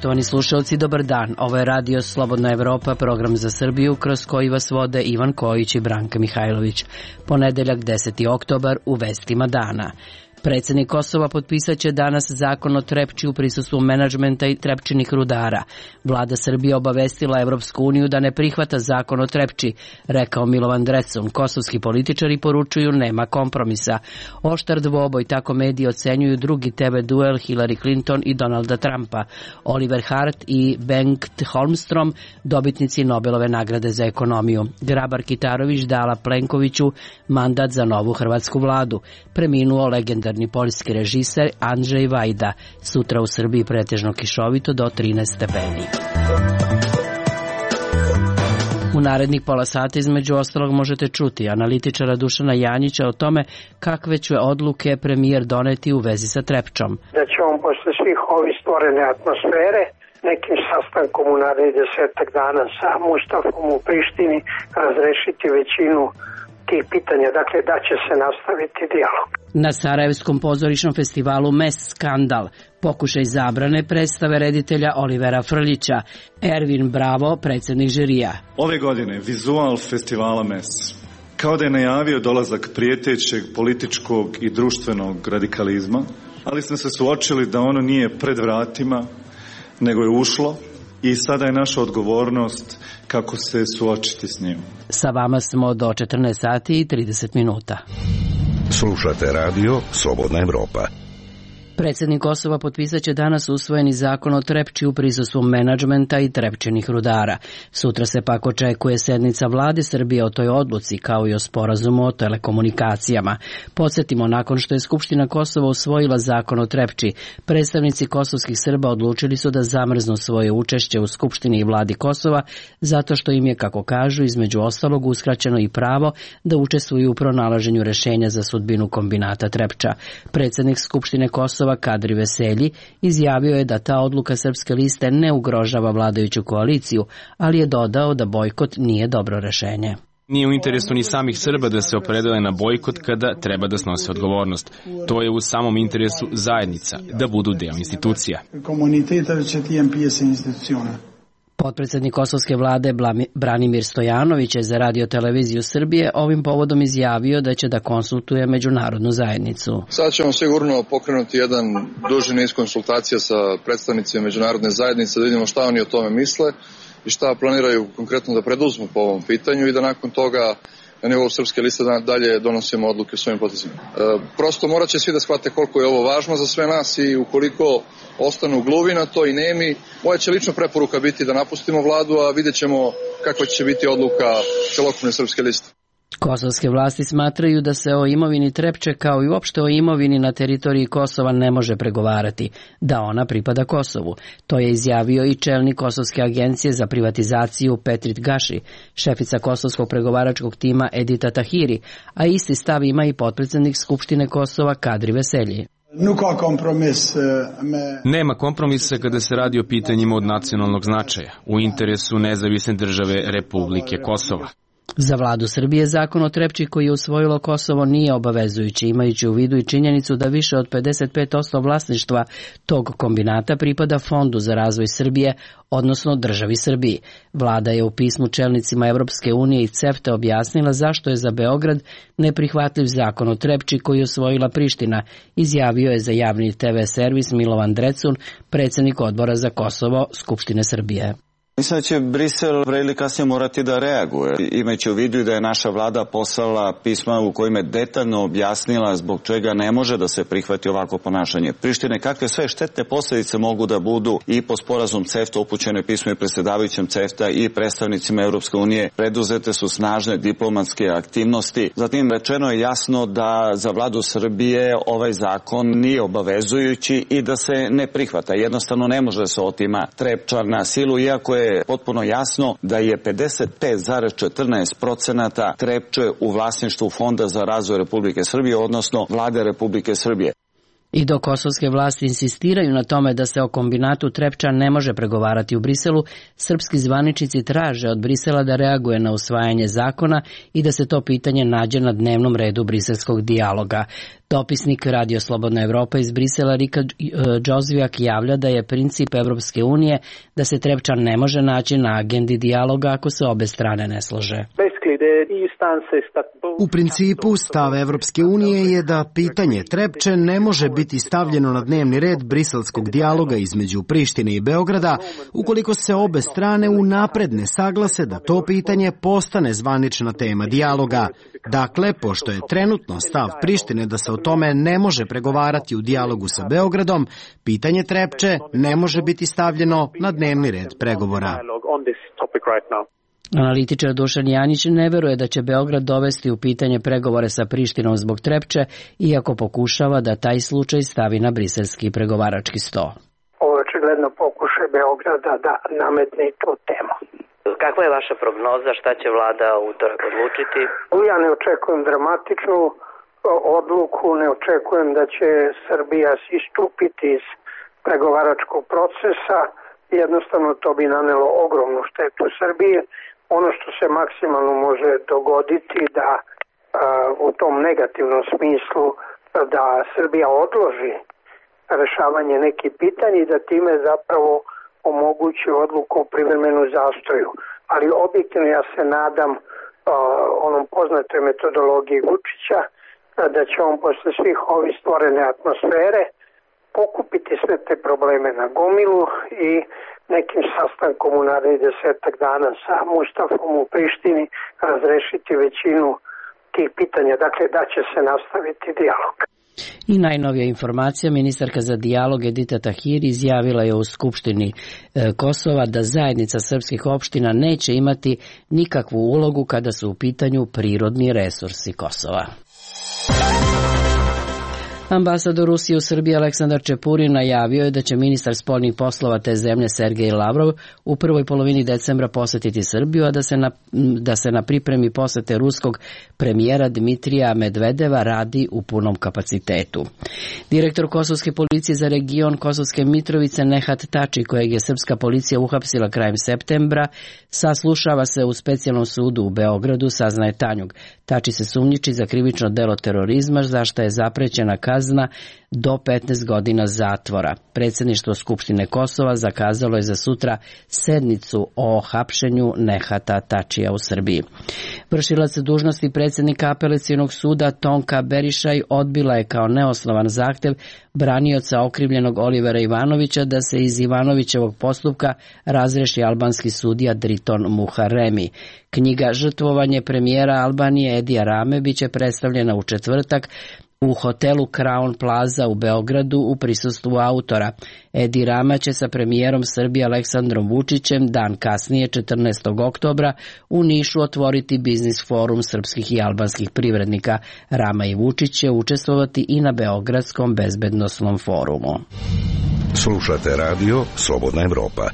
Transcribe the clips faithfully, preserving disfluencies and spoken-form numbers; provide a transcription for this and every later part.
Poštovani slušalci, dobar dan. Ovo je Radio Slobodna Evropa, program za Srbiju, kroz koji vas vode Ivan Kojić i Branka Mihajlović. Ponedeljak, deseti oktobar, u vestima dana. Predsednik Kosova potpisat će danas zakon o Trepči u prisustvu menadžmenta i Trepčinih rudara. Vlada Srbije obavestila Evropsku uniju da ne prihvata zakon o Trepči, rekao Milovan Drecun. Kosovski političari poručuju nema kompromisa. Oštar dvoboj, tako mediji ocenjuju drugi te ve duel Hillary Clinton i Donalda Trumpa. Oliver Hart i Bengt Holmstrom, dobitnici Nobelove nagrade za ekonomiju. Grabar Kitarović dala Plenkoviću mandat za novu hrvatsku vladu. Preminuo legendarni poljski režiser Andrzej Vajda. Sutra u Srbiji pretežno kišovito do trinaest stepeni. U narednih pola sata između ostalog možete čuti analitičara Dušana Janjića o tome kakve će odluke premijer doneti u vezi sa Trepčom. Da će on posle svih ovih stvorene atmosfere nekim sastankom u narednih desetak dana sa Mustafom u Prištini razrešiti većinu tih pitanja, dakle da će se nastaviti dijalog. Na Sarajevskom pozorišnom festivalu Mes skandal, pokušaj zabrane predstave reditelja Olivera Frljića, Ervin Bravo, predsjednik žirija. Ove godine vizual festivala Mes kao da je najavio dolazak prijetećeg političkog i društvenog radikalizma, ali smo se suočili da ono nije pred vratima, nego je ušlo i sada je naša odgovornost kako se suočiti s njim. Sa vama smo do četrnaest sati i trideset minuta. Slušate radio Slobodna Evropa. Predsjednik Kosova potpisat će danas usvojeni zakon o Trepči u prisustvu menadžmenta i Trepčinih rudara. Sutra se pak očekuje sednica vlade Srbije o toj odluci, kao i o sporazumu o telekomunikacijama. Podsjetimo, nakon što je Skupština Kosova usvojila zakon o Trepči, predstavnici kosovskih Srba odlučili su da zamrznu svoje učešće u Skupštini i vladi Kosova, zato što im je, kako kažu, između ostalog uskraćeno i pravo da učestvuju u pronalaženju rešenja za sudbinu kombinata Trepča. Predsednik Skupštine Kosova Kadri Veselji izjavio je da ta odluka Srpske liste ne ugrožava vladajuću koaliciju, ali je dodao da bojkot nije dobro rešenje. Nije u interesu ni samih Srba da se opredele na bojkot kada treba da snose odgovornost. To je u samom interesu zajednica, da budu deo institucija. Potpredsjednik kosovske vlade Branimir Stojanović je za Radio televiziju Srbije ovim povodom izjavio da će da konsultuje međunarodnu zajednicu. Sad ćemo sigurno pokrenuti jedan duži niz konsultacija sa predstavnicima međunarodne zajednice da vidimo šta oni o tome misle i šta planiraju konkretno da preduzmu po ovom pitanju i da nakon toga na nivou Srpske liste dalje donosimo odluke o svojim potezima. E, prosto morat će svi da shvate koliko je ovo važno za sve nas i ukoliko ostanu gluvi na to i nemi, moja će lično preporuka biti da napustimo vladu, a vidjet ćemo kakva će biti odluka celokupne Srpske liste. Kosovske vlasti smatraju da se o imovini Trepče kao i uopšte o imovini na teritoriji Kosova ne može pregovarati, da ona pripada Kosovu. To je izjavio i čelnik Kosovske agencije za privatizaciju Petrit Gaši, šefica kosovskog pregovaračkog tima Edita Tahiri, a isti stav ima i potpredsjednik Skupštine Kosova Kadri Veselji. Nema kompromisa kada se radi o pitanjima od nacionalnog značaja, u interesu nezavisne države Republike Kosova. Za vladu Srbije zakon o Trepči koji je usvojilo Kosovo nije obavezujući, imajući u vidu i činjenicu da više od pedeset pet posto vlasništva tog kombinata pripada Fondu za razvoj Srbije, odnosno državi Srbiji. Vlada je u pismu čelnicima Evropske unije i CEFTA objasnila zašto je za Beograd neprihvatljiv zakon o Trepči koji je usvojila Priština, izjavio je za javni te ve servis Milovan Drecun, predsjednik odbora za Kosovo Skupštine Srbije. Mislim da će Brisel pre ili kasnije morati da reaguje, imajući u vidu da je naša vlada poslala pisma u kojima je detaljno objasnila zbog čega ne može da se prihvati ovako ponašanje Prištine, kakve sve štetne posljedice mogu da budu i po sporazum CEFTA, upućeno je pismo i predsjedavajućem CEFTA i predstavnicima Europske unije, preduzete su snažne diplomatske aktivnosti. Zatim rečeno je jasno da za vladu Srbije ovaj zakon nije obavezujući i da se ne prihvata. Jednostavno ne može se otima Trepča na silu, iako je je potpuno jasno da je pedeset pet zarez četrnaest procenata Trepče u vlasništvu Fonda za razvoj Republike Srbije, odnosno vlade Republike Srbije. I dok kosovske vlasti insistiraju na tome da se o kombinatu Trepča ne može pregovarati u Briselu, srpski zvaničnici traže od Brisela da reaguje na usvajanje zakona i da se to pitanje nađe na dnevnom redu briselskog dijaloga. Dopisnik Radio Slobodna Evropa iz Brisela Rika Džozvijak javlja da je princip Evropske unije da se Trepča ne može naći na agendi dijaloga ako se obe strane ne slože. U principu, stav Evropske unije je da pitanje Trepče ne može biti stavljeno na dnevni red briselskog dijaloga između Prištine i Beograda ukoliko se obe strane unapred ne saglase da to pitanje postane zvanična tema dijaloga. Dakle, pošto je trenutno stav Prištine da se o tome ne može pregovarati u dijalogu sa Beogradom, pitanje Trepče ne može biti stavljeno na dnevni red pregovora. Analitičar Dušan Janić ne veruje da će Beograd dovesti u pitanje pregovore sa Prištinom zbog Trepče, iako pokušava da taj slučaj stavi na briselski pregovarački sto. Ovo je očigledno pokušaj Beograda da nametne tu temu. Kakva je vaša prognoza, šta će vlada u utorak odlučiti? Ja ne očekujem dramatičnu odluku, ne očekujem da će Srbija istupiti iz pregovaračkog procesa. Jednostavno to bi nanelo ogromnu štetu Srbije. Ono što se maksimalno može dogoditi da a, u tom negativnom smislu da Srbija odloži rešavanje nekih pitanja i da time zapravo omogući odluku o privremenom zastoju. Ali objektivno ja se nadam a, onom poznatoj metodologiji Vučića a, da će on posle svih ovih stvorene atmosfere pokupiti sve te probleme na gomilu i nekim sastankom u narednih desetak dana sa Mustafom u Prištini razrešiti većinu tih pitanja. Dakle, da će se nastaviti dijalog. I najnovija informacija, ministarka za dijalog Edita Tahiri izjavila je u Skupštini Kosova da zajednica srpskih opština neće imati nikakvu ulogu kada su u pitanju prirodni resursi Kosova. Ambasador Rusije u Srbiji Aleksandar Čepurin najavio je da će ministar spoljnih poslova te zemlje Sergej Lavrov u prvoj polovini decembra posetiti Srbiju, a da se na, da se na pripremi posete ruskog premijera Dmitrija Medvedeva radi u punom kapacitetu. Direktor Kosovske policije za region Kosovske Mitrovice Nehat Tači, kojeg je srpska policija uhapsila krajem septembra, saslušava se u specijalnom sudu u Beogradu, saznaje Tanjug. Tači se sumnjiči za krivično delo terorizma, za što je zaprećena kazna do petnaest godina zatvora. Predsjedništvo Skupštine Kosova zakazalo je za sutra sednicu o hapšenju Nehata Tačija u Srbiji. Vršilac dužnosti predsjednika Apelacionog suda Tonka Berišaj odbila je kao neosnovan zahtev branioca okrivljenog Olivera Ivanovića da se iz Ivanovićevog postupka razreši albanski sudija Driton Muharemi. Knjiga Žrtvovanje premijera Albanije Edija Rame biće predstavljena u četvrtak u hotelu Crown Plaza u Beogradu u prisustvu autora. Edi Rama će sa premijerom Srbije Aleksandrom Vučićem dan kasnije, četrnaestog oktobra, u Nišu otvoriti biznis forum srpskih i albanskih privrednika. Rama i Vučić će učestvovati i na Beogradskom bezbednosnom forumu. Slušate radio Slobodna Evropa.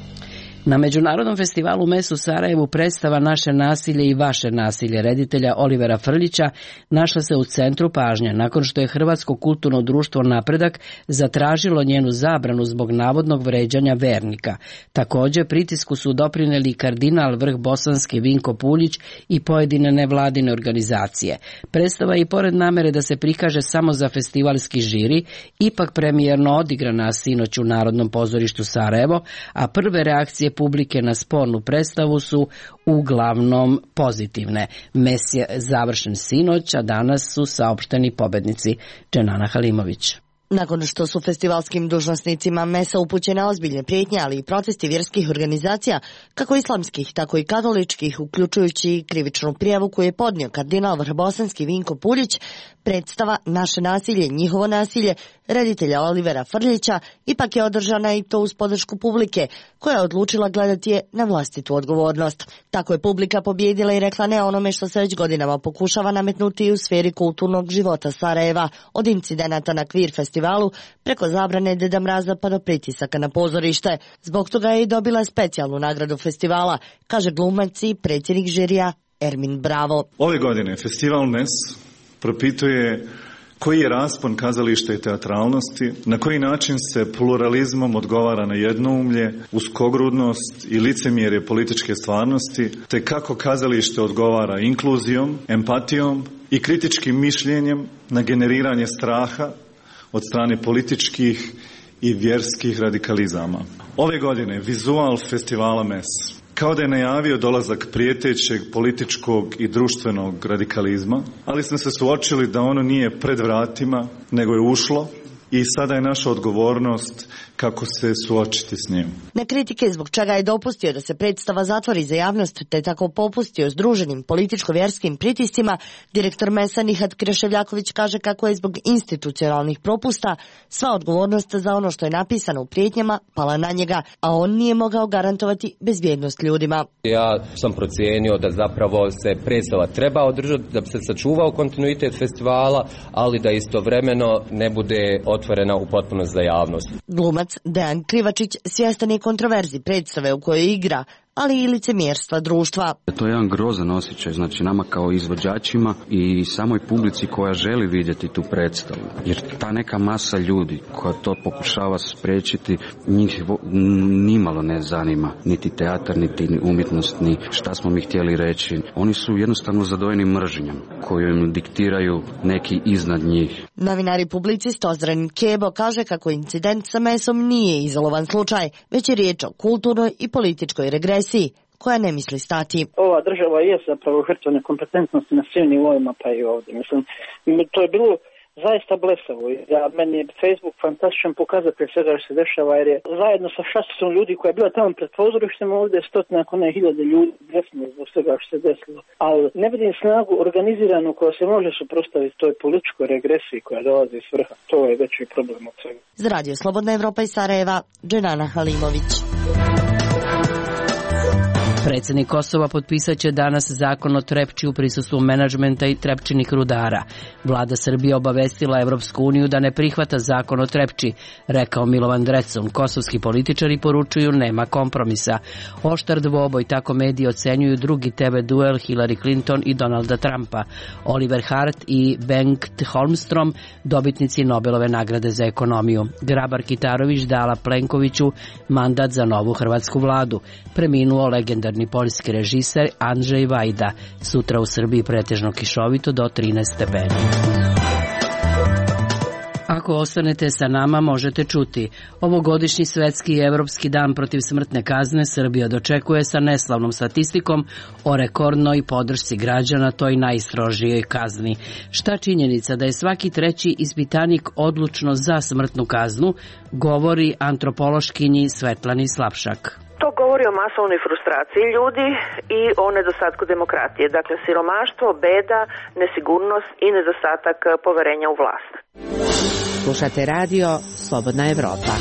Na Međunarodnom festivalu Mes u Sarajevu predstava Naše nasilje i vaše nasilje reditelja Olivera Frljića našla se u centru pažnje nakon što je Hrvatsko kulturno društvo Napredak zatražilo njenu zabranu zbog navodnog vređanja vernika. Također pritisku su doprineli kardinal vrh bosanski Vinko Puljić i pojedine nevladine organizacije. Predstava je i pored namere da se prikaže samo za festivalski žiri, ipak premijerno odigrana sinoć u Narodnom pozorištu Sarajevo, a prve reakcije publike na spornu predstavu su uglavnom pozitivne. Mes je završen sinoć, a danas su saopšteni pobednici. Dženana Halimović. Nakon što su festivalskim dužnosnicima Mesa upućene ozbiljne prijetnje, ali i protesti vjerskih organizacija, kako islamskih, tako i katoličkih, uključujući krivičnu prijavu koju je podnio kardinal vrhbosanski Vinko Puljić, predstava Naše nasilje, njihovo nasilje reditelja Olivera Frljića ipak je održana i to uz podršku publike, koja je odlučila gledati je na vlastitu odgovornost. Tako je publika pobjedila i rekla ne onome što se već godinama pokušava nametnuti u sferi kulturnog života Sarajeva, od incidenata na Kvir festivalu preko zabrane Deda Mraza pa do pritisaka na pozorište. Zbog toga je i dobila specijalnu nagradu festivala, kaže glumac i predsjednik žirija Ermin Bravo. Ove godine festival Mes propituje Koji je raspon kazališta i teatralnosti, na koji način se pluralizmom odgovara na jednoumlje, uskogrudnost i licemjerje političke stvarnosti, te kako kazalište odgovara inkluzijom, empatijom i kritičkim mišljenjem na generiranje straha od strane političkih i vjerskih radikalizama. Ove godine vizual festivala Mes, kao da je najavio dolazak prijetećeg političkog i društvenog radikalizma, ali smo se suočili da ono nije pred vratima, nego je ušlo i sada je naša odgovornost kako se suočiti s njim. Na kritike zbog čega je dopustio da se predstava zatvori za javnost te tako popustio združenim političko-vjerskim pritiscima, direktor Mesa Nihat Kreševljaković kaže kako je zbog institucionalnih propusta sva odgovornost za ono što je napisano u prijetnjama pala na njega, a on nije mogao garantovati bezbjednost ljudima. Ja sam procijenio da zapravo se predstava treba održati, da bi se sačuvao kontinuitet festivala, ali da istovremeno ne bude otvorena u potpunost za javnost. Glumac Dejan Krivačić svjestan je kontroverzi predstave u kojoj igra, ali i licemjerstva društva. To je jedan grozan osjećaj, znači nama kao izvođačima i samoj publici koja želi vidjeti tu predstavu. Jer ta neka masa ljudi koja to pokušava spriječiti, njih nimalo ne zanima, niti teatar, niti umjetnost, ni šta smo mi htjeli reći. Oni su jednostavno zadojeni mržnjom koju im diktiraju neki iznad njih. Novinar i publicist Ozren Kebo kaže kako incident sa Mesom nije izolovan slučaj, već je riječ o kulturnoj i političkoj regresiji koja ne misli stati. Ova država je zapravo žrtva nekompetentnosti na svim nivoima, pa i ovdje. Mislim, to je bilo zaista blesavo. Ja, meni je Facebook fantastičan pokazatelj svega što se dešava, jer je zajedno sa šasom ljudi koja je bila tamo pred pozorištem ovdje stotina, ako ne hiljade ljudi desno zbog svega što se desilo. Ali ne vidim snagu organiziranu koja se može suprotstaviti toj političkoj regresiji koja dolazi iz vrha. To je veći problem od svega. Za Radio Slobodna Evropa iz Sarajeva, Dženana Halimović. Predsjednik Kosova potpisat će danas zakon o Trepči u prisustvu menadžmenta i trepčinih rudara. Vlada Srbije obavestila Evropsku uniju da ne prihvata zakon o Trepči, rekao Milovan Drecun. Kosovski političari poručuju nema kompromisa. Oštar dvoboj, tako mediji ocenjuju drugi te ve duel Hillary Clinton i Donalda Trumpa. Oliver Hart i Bengt Holmstrom, dobitnici Nobelove nagrade za ekonomiju. Grabar Kitarović dala Plenkoviću mandat za novu hrvatsku vladu. Preminuo legendarni poljski režiser Andrzej Vajda. Sutra u Srbiji pretežno kišovito do trinaest stepeni. Ako ostanete sa nama, možete čuti. Ovogodišnji svetski i evropski dan protiv smrtne kazne Srbija dočekuje sa neslavnom statistikom o rekordnoj podršci građana toj najstrožijoj kazni. Šta činjenica da je svaki treći ispitanik odlučno za smrtnu kaznu, govori antropološkinji Svetlani Slapšak. To govori o masovnoj frustraciji ljudi i o nedostatku demokratije. Dakle, siromaštvo, beda, nesigurnost i nedostatak poverenja u vlast. Slušate radio Slobodna Evropa.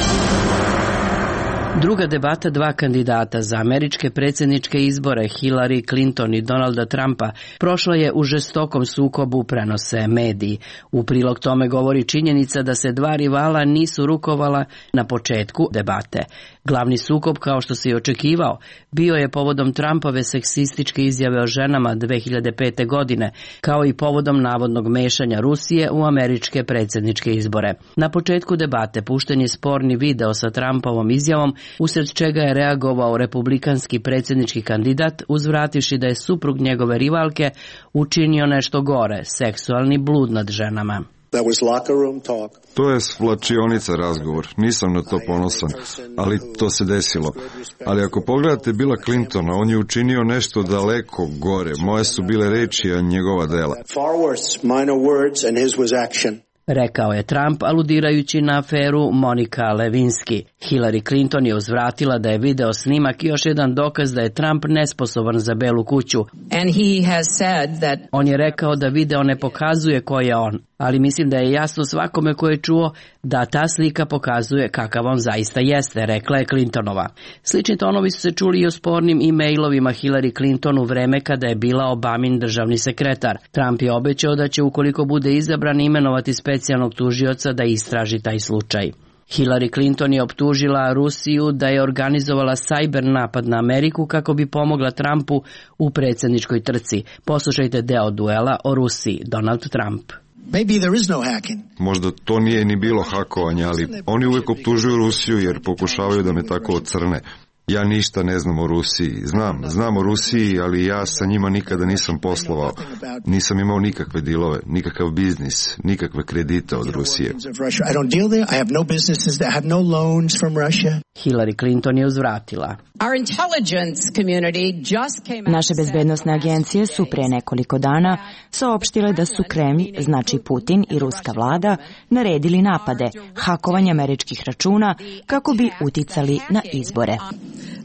Druga debata dva kandidata za američke predsjedničke izbore, Hillary Clinton i Donalda Trumpa, prošla je u žestokom sukobu, prenose mediji. U prilog tome govori činjenica da se dva rivala nisu rukovala na početku debate. Glavni sukob, kao što se i očekivao, bio je povodom Trumpove seksističke izjave o ženama dve hiljade pete. godine, kao i povodom navodnog mešanja Rusije u američke predsjedničke izbore. Na početku debate pušten je sporni video sa Trumpovom izjavom, usred čega je reagovao republikanski predsjednički kandidat, uzvrativši da je suprug njegove rivalke učinio nešto gore, seksualni blud nad ženama. To je svlačionica razgovor, nisam na to ponosan, ali to se desilo. Ali ako pogledate Billa Clintona, on je učinio nešto daleko gore, moje su bile reči, a njegova dela. Rekao je Trump, aludirajući na aferu Monika Lewinsky. Hillary Clinton je uzvratila da je video snimak još jedan dokaz da je Trump nesposoban za Belu kuću. And he has said that... On je rekao da video ne pokazuje ko je on, ali mislim da je jasno svakome ko je čuo da ta slika pokazuje kakav on zaista jeste, rekla je Clintonova. Slični tonovi su se čuli i o spornim e-mailovima Hillary Clinton u vreme kada je bila Obamin državni sekretar. Trump je obećao da će, ukoliko bude izabran, imenovati specijalnog tužioca da istraži taj slučaj. Hillary Clinton je optužila Rusiju da je organizovala sajber napad na Ameriku kako bi pomogla Trumpu u predsjedničkoj trci. Poslušajte deo duela o Rusiji, Donald Trump. Možda to nije ni bilo hakovanje, ali oni uvijek optužuju Rusiju jer pokušavaju da me tako ocrne. Ja ništa ne znam o Rusiji. Znam, znam o Rusiji, ali ja sa njima nikada nisam poslovao. Nisam imao nikakve dilove, nikakav biznis, nikakve kredite od Rusije. Hillary Clinton je uzvratila. Naše bezbednosne agencije su pre nekoliko dana saopštile da su Kreml, znači Putin i ruska vlada, naredili napade, hakovanje američkih računa kako bi uticali na izbore.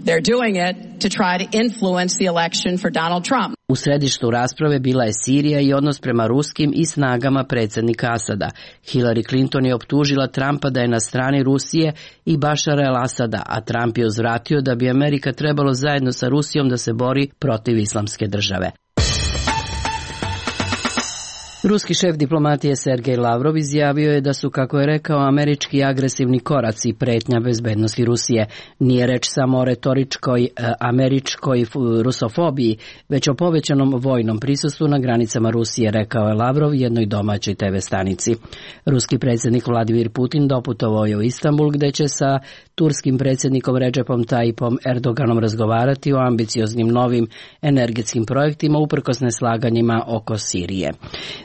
They're doing it to try to influence the election for Donald Trump. U središtu rasprave bila je Sirija i odnos prema ruskim i snagama predsjednika Asada. Hillary Clinton je optužila Trumpa da je na strani Rusije i Bašara el-Asada, a Trump je uzvratio da bi Amerika trebalo zajedno sa Rusijom da se bori protiv islamske države. Ruski šef diplomatije Sergej Lavrov izjavio je da su, kako je rekao, američki agresivni koraci pretnja bezbednosti Rusije. Nije reč samo o retoričkoj američkoj rusofobiji, već o povećanom vojnom prisustvu na granicama Rusije, rekao je Lavrov jednoj domaćoj te ve stanici. Ruski predsjednik Vladimir Putin doputovao je u Istanbul, gde će sa turskim predsjednikom Recepom Tayyipom Erdoganom razgovarati o ambicioznim novim energetskim projektima uprkos neslaganjima oko Sirije.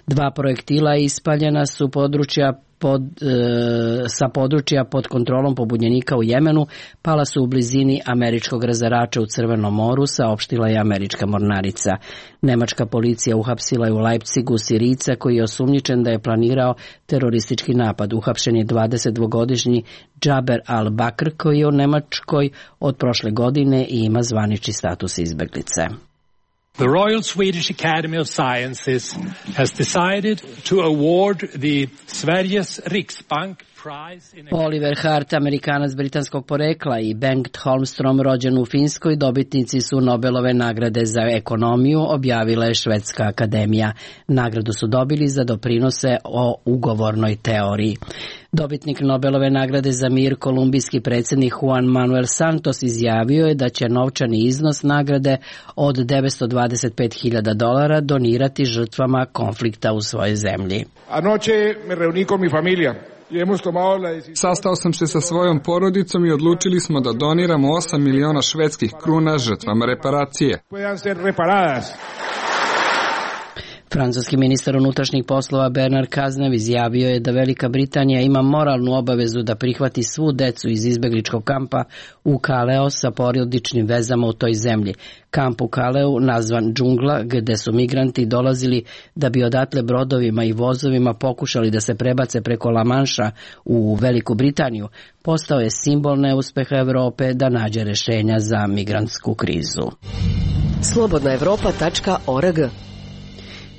Dva projektila ispaljena su područja pod, e, sa područja pod kontrolom pobunjenika u Jemenu, pala su u blizini američkog razarača u Crvenom moru, saopštila je američka mornarica. Nemačka policija uhapsila je u Leipzigu Sirijca koji je osumnjičen da je planirao teroristički napad. Uhapšen je dvadesetdvogodišnji Džaber al-Bakr koji je u Nemačkoj od prošle godine i ima zvanični status izbeglice. The Royal Swedish Academy of Sciences has decided to award the Sveriges Riksbank prize in... Oliver Hart, Amerikanac britanskog porekla, i Bengt Holmstrom, rođen u Finskoj, dobitnici su Nobelove nagrade za ekonomiju, objavila je Švedska akademija. Nagradu su dobili za doprinose o ugovornoj teoriji. Dobitnik Nobelove nagrade za mir, kolumbijski predsjednik Juan Manuel Santos, izjavio je da će novčani iznos nagrade od devetsto dvadeset pet hiljada dolara donirati žrtvama konflikta u svojoj zemlji. Anoche me reuní con mi familia. Sastao sam se sa svojom porodicom i odlučili smo da doniramo osam miliona švedskih kruna žrtvama reparacije. Francuski ministar unutrašnjih poslova Bernard Cazeneuve izjavio je da Velika Britanija ima moralnu obavezu da prihvati svu decu iz izbegličkog kampa u Kaleu sa porodičnim vezama u toj zemlji. Kamp u Kaleu, nazvan Džungla, gde su migranti dolazili da bi odatle brodovima i vozovima pokušali da se prebace preko La Manša u Veliku Britaniju, postao je simbol neuspeha Evrope da nađe rešenja za migrantsku krizu. slobodna evropa tačka org.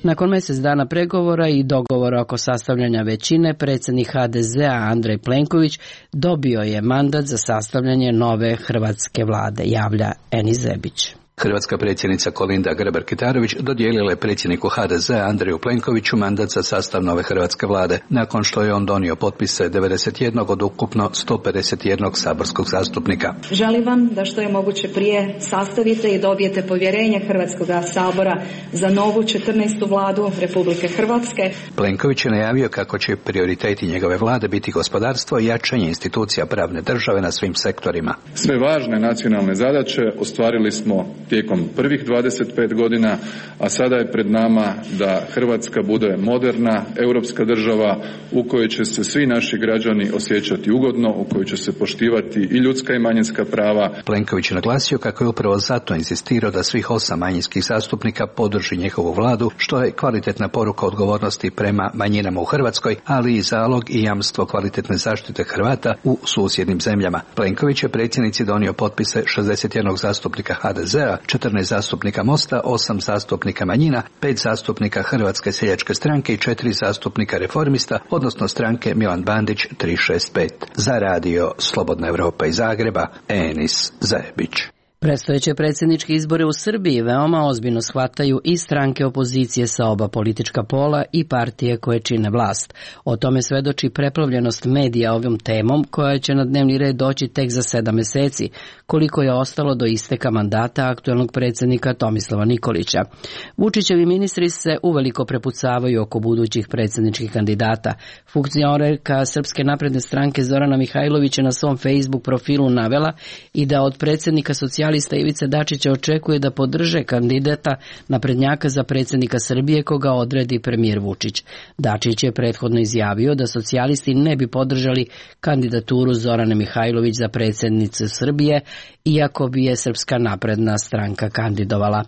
Nakon mjesec dana pregovora i dogovora oko sastavljanja većine, predsjednik ha de zea Andrej Plenković dobio je mandat za sastavljanje nove hrvatske vlade, javlja Eni Zebić. Hrvatska predsjednica Kolinda Grabar-Kitarović dodijelila je predsjedniku ha de zea Andreju Plenkoviću mandat za sastav nove hrvatske vlade, nakon što je on donio potpise devedeset jednog od ukupno sto pedeset jednog saborskog zastupnika. Želim vam da što je moguće prije sastavite i dobijete povjerenje Hrvatskog sabora za novu četrnaestu vladu Republike Hrvatske. Plenković je najavio kako će prioriteti njegove vlade biti gospodarstvo i jačanje institucija pravne države na svim sektorima. Sve važne nacionalne zadaće ostvarili smo tijekom prvih dvadeset pet godina, a sada je pred nama da Hrvatska bude moderna europska država u kojoj će se svi naši građani osjećati ugodno, u kojoj će se poštivati i ljudska i manjinska prava. Plenković je naglasio kako je upravo zato insistirao da svih osam manjinskih zastupnika podrži njihovu vladu, što je kvalitetna poruka odgovornosti prema manjinama u Hrvatskoj, ali i zalog i jamstvo kvalitetne zaštite Hrvata u susjednim zemljama. Plenković je predsjednici donio potpise šezdeset jednog zastupnika ha de zea, četrnaest zastupnika Mosta, osam zastupnika manjina, pet zastupnika Hrvatske seljačke stranke i četiri zastupnika Reformista, odnosno stranke Milan Bandić tri šest pet. Za radio Slobodna Evropa iz Zagreba, Enis Zajebić. Predstojeće predsjedničke izbore u Srbiji veoma ozbiljno shvataju i stranke opozicije sa oba politička pola i partije koje čine vlast. O tome svedoči preplavljenost medija ovom temom koja će na dnevni red doći tek za sedam meseci, koliko je ostalo do isteka mandata aktuelnog predsjednika Tomislava Nikolića. Vučićevi ministri se uveliko prepucavaju oko budućih predsjedničkih kandidata. Funkcionerka Srpske napredne stranke Zorana Mihajlović je na svom Facebook profilu navela i da od predsjednika socijalista Ivice Dačića očekuje da podrže kandidata naprednjaka za predsjednika Srbije koga odredi premijer Vučić. Dačić je prethodno izjavio da socijalisti ne bi podržali kandidaturu Zorane Mihajlović za predsjednicu Srbije, iako bi je Srpska napredna stranka kandidovala.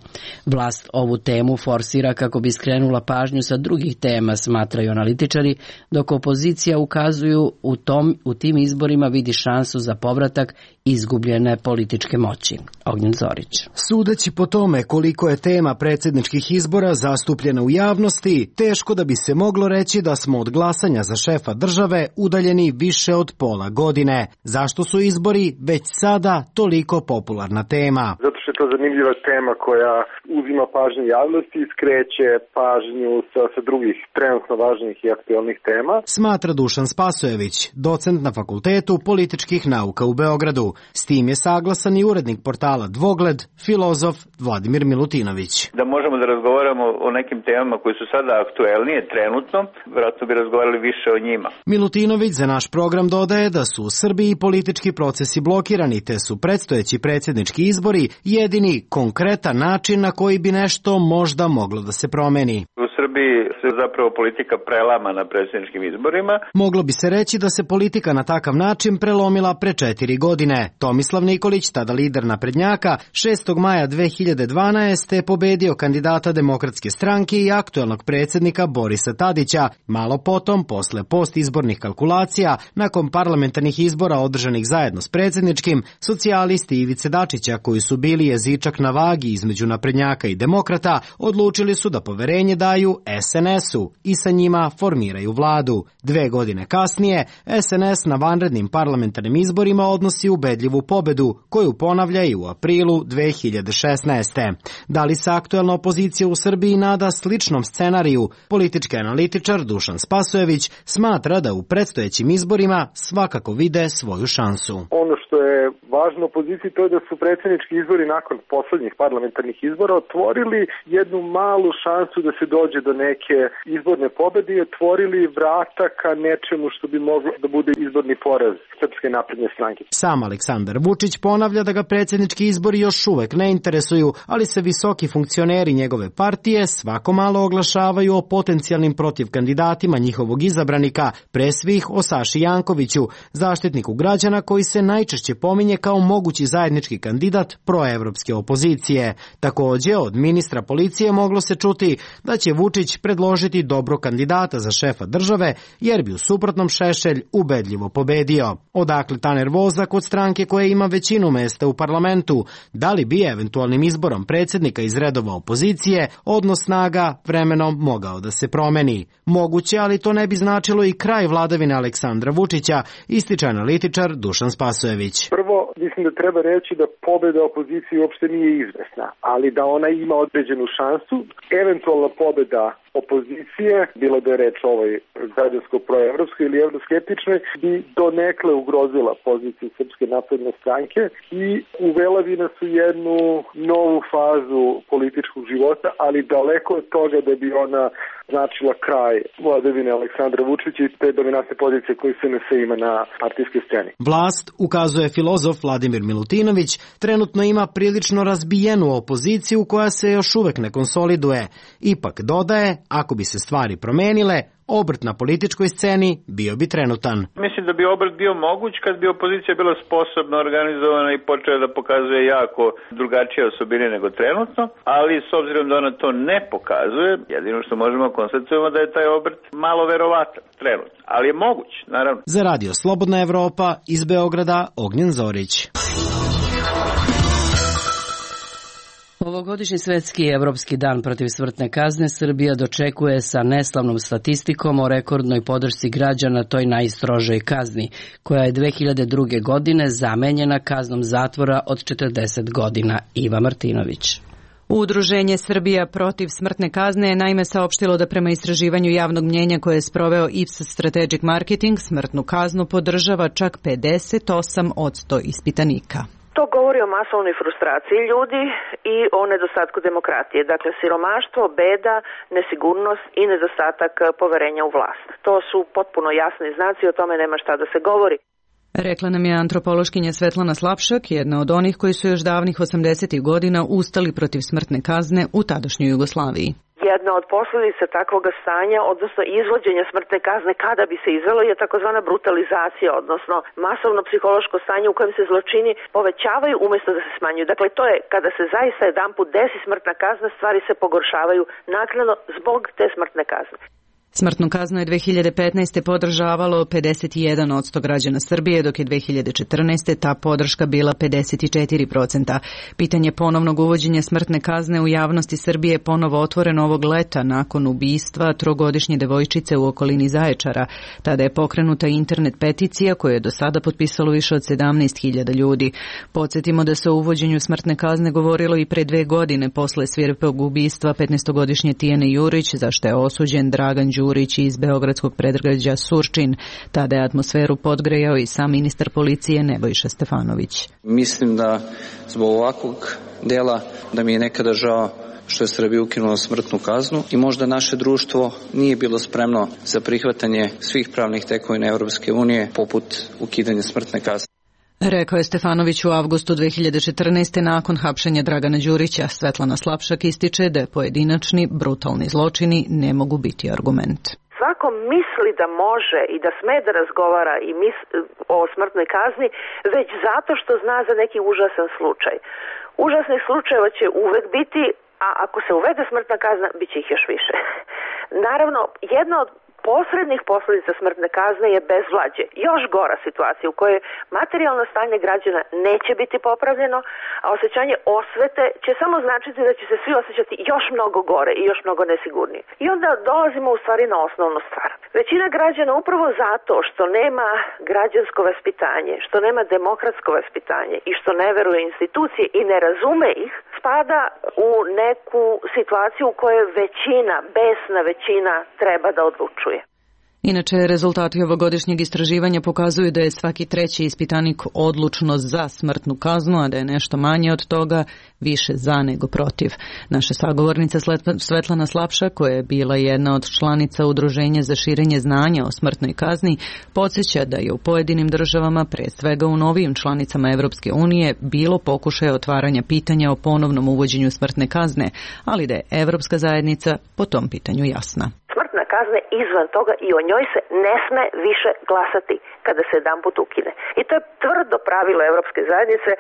Vlast ovu temu forsira kako bi skrenula pažnju sa drugih tema, smatraju analitičari, dok opozicija ukazuju u, tom, u tim izborima vidi šansu za povratak izgubljene političke moći. Ognjen Zorić. Sudeći po tome koliko je tema predsjedničkih izbora zastupljena u javnosti, teško da bi se moglo reći da smo od glasanja za šefa države udaljeni više od pola godine. Zašto su izbori već sada toliko popularna tema? Zato što je to zanimljiva tema koja uzima pažnju javnosti i skreće pažnju sa, sa drugih trenutno važnih i aktualnih tema. Smatra Dušan Spasojević, docent na Fakultetu političkih nauka u Beogradu. S tim je saglasan i urednik portala Dvogled, filozof Vladimir Milutinović. Da možemo da razgovaramo o nekim temama koji su sada aktuelnije trenutno, vjerojatno bi razgovarali više o njima. Milutinović za naš program dodaje da su u Srbiji politički procesi blokirani, te su predstojeći predsjednički izbori jedini konkretan način na koji bi nešto možda moglo da se promeni. U Srbiji se zapravo politika prelama na predsjedničkim izborima. Moglo bi se reći da se politika na takav način prelomila pre četiri godine. Tomislav Nikolić, tada lider naprednjaka, šestog maja dve hiljade dvanaeste. je pobedio kandidata Demokratske stranke i aktuelnog predsjednika Borisa Tadića. Malo potom, posle postizbornih kalkulacija, nakon parlamentarnih izbora održanih zajedno s predsjedničkim, socijalisti Ivice Dačića, koji su bili jezičak na vagi između naprednjaka i demokrata, odlučili su da poverenje daju es en esu i sa njima formiraju vladu. Dve godine kasnije, es en es na vanrednim parlamentarnim izborima odnosi ubedljivu pobedu, koju ponavlja i u aprilu dve hiljade šesnaeste. Da li se aktuelna opozicija u Srbiji nada sličnom scenariju? Politički analitičar Dušan Spasojević smatra da u predstojećim izborima svakako vide svoju šansu. Ono što je važno opoziciji to je da su predsjednički izbori nakon poslednjih parlamentarnih izbora otvorili jednu malu šansu da se dođe do neke izborne pobede i otvorili vrata ka nečemu što bi moglo da bude izborni poraz Srpske napredne stranke. Sam Aleksandar Vučić ponavlja da ga predsjednički izbori još uvek ne interesuju, ali se visoki funkcioneri njegove partije svako malo oglašavaju o potencijalnim protivkandidatima njihovog izabranika, pre svih o Saši Jankoviću, zaštitniku građana koji se najčešće pominje kao mogući zajednički kandidat proevropske opozicije. Takođe, od ministra policije moglo se čuti da će Vučić predložiti dobro kandidata za šefa države, jer bi u suprotnom Šešelj ubedljivo pobedio. Odakle ta nervoza kod stranke koja ima većinu mesta u parlamentu? Da li bi eventualnim izborom predsjednika iz redova opozicije odnos snaga vremenom mogao da se promeni? Moguće, ali to ne bi značilo i kraj vladavine Aleksandra Vučića, ističe analitičar Dušan Spasojević. Prvo, mislim da treba reći da pobeda opozicije uopšte nije izvesna, ali da ona ima određenu šansu. Eventualna pobeda opozicije, bilo da je reč o ovoj građansko-proevropskoj ili evroskeptičnoj, bi donekle ugrozila poziciju Srpske napredne stranke i uvela bi nas u jednu novu fazu političkog života, ali daleko od toga da bi ona značila kraj vladavine Aleksandra Vučića i te dominantne pozicije koje se en es ima na partijskoj sceni. Vlast, ukazuje filozof Vladimir Milutinović, trenutno ima prilično razbijenu opoziciju koja se još uvek ne konsoliduje. Ipak dodaje, ako bi se stvari promenile, obrt na političkoj sceni bio bi trenutan. Mislim da bi obrt bio moguć kad bi opozicija bila sposobna, organizovana i počela da pokazuje jako drugačije osobine nego trenutno, ali s obzirom da ona to ne pokazuje, jedino što možemo konstatovati da je taj obrt malo verovatan trenutno, ali je moguć, naravno. Za Radio Slobodna Evropa iz Beograda, Ognjen Zorić. Ovogodišnji svetski i evropski dan protiv smrtne kazne Srbija dočekuje sa neslavnom statistikom o rekordnoj podršci građana toj najstrožoj kazni, koja je dve hiljade druge. godine zamenjena kaznom zatvora od četrdeset godina. Iva Martinović. Udruženje Srbija protiv smrtne kazne je naime saopštilo da prema istraživanju javnog mnjenja koje je sproveo Ipsos Strategic Marketing smrtnu kaznu podržava čak pedeset osam posto ispitanika. To govori o masovnoj frustraciji ljudi i o nedostatku demokratije. Dakle, siromaštvo, beda, nesigurnost i nedostatak poverenja u vlast. To su potpuno jasni znaci, o tome nema šta da se govori. Rekla nam je antropološkinja Svetlana Slapšak, jedna od onih koji su još davnih osamdesetih godina ustali protiv smrtne kazne u tadašnjoj Jugoslaviji. Jedna od posljedica takvog stanja, odnosno izvođenja smrtne kazne kada bi se izvelo, je takozvana brutalizacija, odnosno masovno psihološko stanje u kojem se zločini povećavaju umjesto da se smanjuju. Dakle, to je kada se zaista jedanput desi smrtna kazna, stvari se pogoršavaju naknadno zbog te smrtne kazne. Smrtnu kaznu je dve hiljade petnaeste. podržavalo pedeset jedan posto građana Srbije, dok je dve hiljade četrnaeste. ta podrška bila pedeset četiri posto. Pitanje ponovnog uvođenja smrtne kazne u javnosti Srbije je ponovo otvoreno ovog leta nakon ubistva trogodišnje devojčice u okolini Zaječara. Tada je pokrenuta internet peticija koju je do sada potpisalo više od sedamnaest hiljada ljudi. Podsjetimo da se o uvođenju smrtne kazne govorilo i pre dve godine posle svirepog ubistva petnaestogodišnje Tijane Jurić, za što je osuđen Dragan Đurić iz beogradskog predgrađa Surčin. Tada je atmosferu podgrejao i sam ministar policije Nebojša Stefanović. Mislim da zbog ovakvog dela da mi je nekada žao što je Srbija ukinula smrtnu kaznu i možda naše društvo nije bilo spremno za prihvatanje svih pravnih tekovina Evropske unije poput ukidanja smrtne kazne. Rekao je Stefanović u avgustu dve hiljade četrnaeste. nakon hapšenja Dragana Đurića. Svetlana Slapšak ističe da pojedinačni brutalni zločini ne mogu biti argument. Svako misli da može i da sme da razgovara i mis, o smrtnoj kazni već zato što zna za neki užasan slučaj. Užasnih slučajeva će uvek biti, a ako se uvede smrtna kazna, bit će ih još više. Naravno, jedna od posrednih posljedica smrtne kazne je bezvlađe. Još gora situacija u kojoj materijalno stanje građana neće biti popravljeno, a osjećanje osvete će samo značiti da će se svi osjećati još mnogo gore i još mnogo nesigurnije. I onda dolazimo u stvari na osnovnu stvar. Većina građana upravo zato što nema građansko vaspitanje, što nema demokratsko vaspitanje i što ne veruje institucije i ne razume ih, spada u neku situaciju u kojoj većina, besna većina treba da odlučuje. Inače, rezultati ovogodišnjeg istraživanja pokazuju da je svaki treći ispitanik odlučno za smrtnu kaznu, a da je nešto manje od toga više za nego protiv. Naša sagovornica Svetlana Slapša, koja je bila jedna od članica Udruženja za širenje znanja o smrtnoj kazni, podsjeća da je u pojedinim državama, pre svega u novijim članicama Evropske unije, bilo pokušaja otvaranja pitanja o ponovnom uvođenju smrtne kazne, ali da je Evropska zajednica po tom pitanju jasna. Smrtna kazna je izvan toga i o njoj se ne sme više glasati kada se jedanput ukine. I to je tvrdo pravilo Evropske zajednice.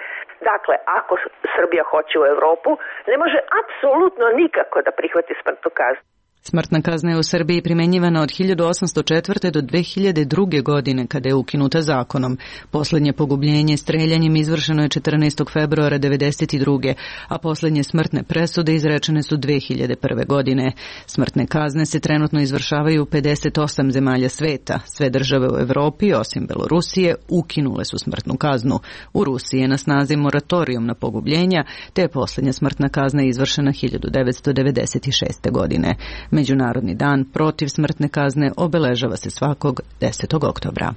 Dakle, ako Srbija hoće u Evropu, ne može apsolutno nikako da prihvati smrtnu kaznu. Smrtna kazna je u Srbiji primenjivana od hiljadu osamsto četvrte. do dve hiljade druge. godine kada je ukinuta zakonom. Poslednje pogubljenje streljanjem izvršeno je četrnaestog februara devedeset druge. a poslednje smrtne presude izrečene su dve hiljade prve. godine. Smrtne kazne se trenutno izvršavaju u pedeset osam zemalja sveta. Sve države u Evropi, osim Belorusije, ukinule su smrtnu kaznu. U Rusiji je na snazi moratorijum na pogubljenja, te je poslednja smrtna kazna izvršena hiljadu devetsto devedeset šeste. godine. Međunarodni dan protiv smrtne kazne obeležava se svakog desetog oktobra.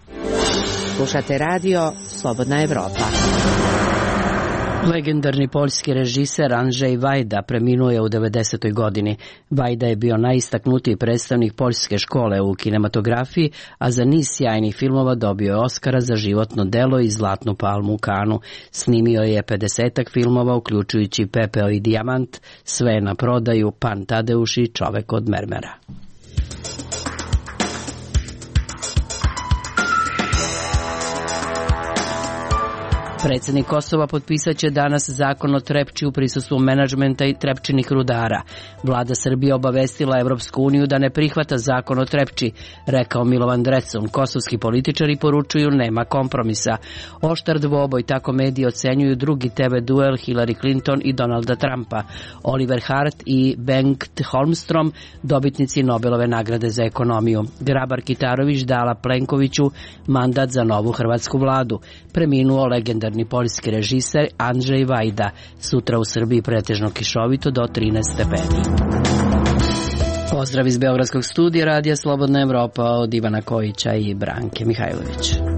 Slušate radio Slobodna Evropa. Legendarni poljski režiser Andrzej Vajda preminuo je u devedesetoj. godini. Vajda je bio najistaknutiji predstavnik poljske škole u kinematografiji, a za niz sjajnih filmova dobio je Oskara za životno delo i Zlatnu palmu u Kanu. Snimio je pedesetak filmova, uključujući Pepeo i dijamant, Sve na prodaju, Pan Tadeuš i Čovek od mermera. Predsednik Kosova potpisat će danas zakon o Trepči u prisustvu menadžmenta i Trepčinih rudara. Vlada Srbije obavestila Evropsku uniju da ne prihvata zakon o Trepči, rekao Milovan Drecun. Kosovski političari poručuju nema kompromisa. Oštar dvoboj, tako mediji ocenjuju drugi te ve duel Hillary Clinton i Donalda Trumpa. Oliver Hart i Bengt Holmstrom, dobitnici Nobelove nagrade za ekonomiju. Grabar Kitarović dala Plenkoviću mandat za novu hrvatsku vladu. Preminuo legendarni poljski režiser Andrzej Vajda. Sutra u Srbiji pretežno kišovito do trinaest stepeni. Pozdrav iz Beogradskog studija Radija Slobodna Evropa od Ivana Kojića i Branke Mihajlović.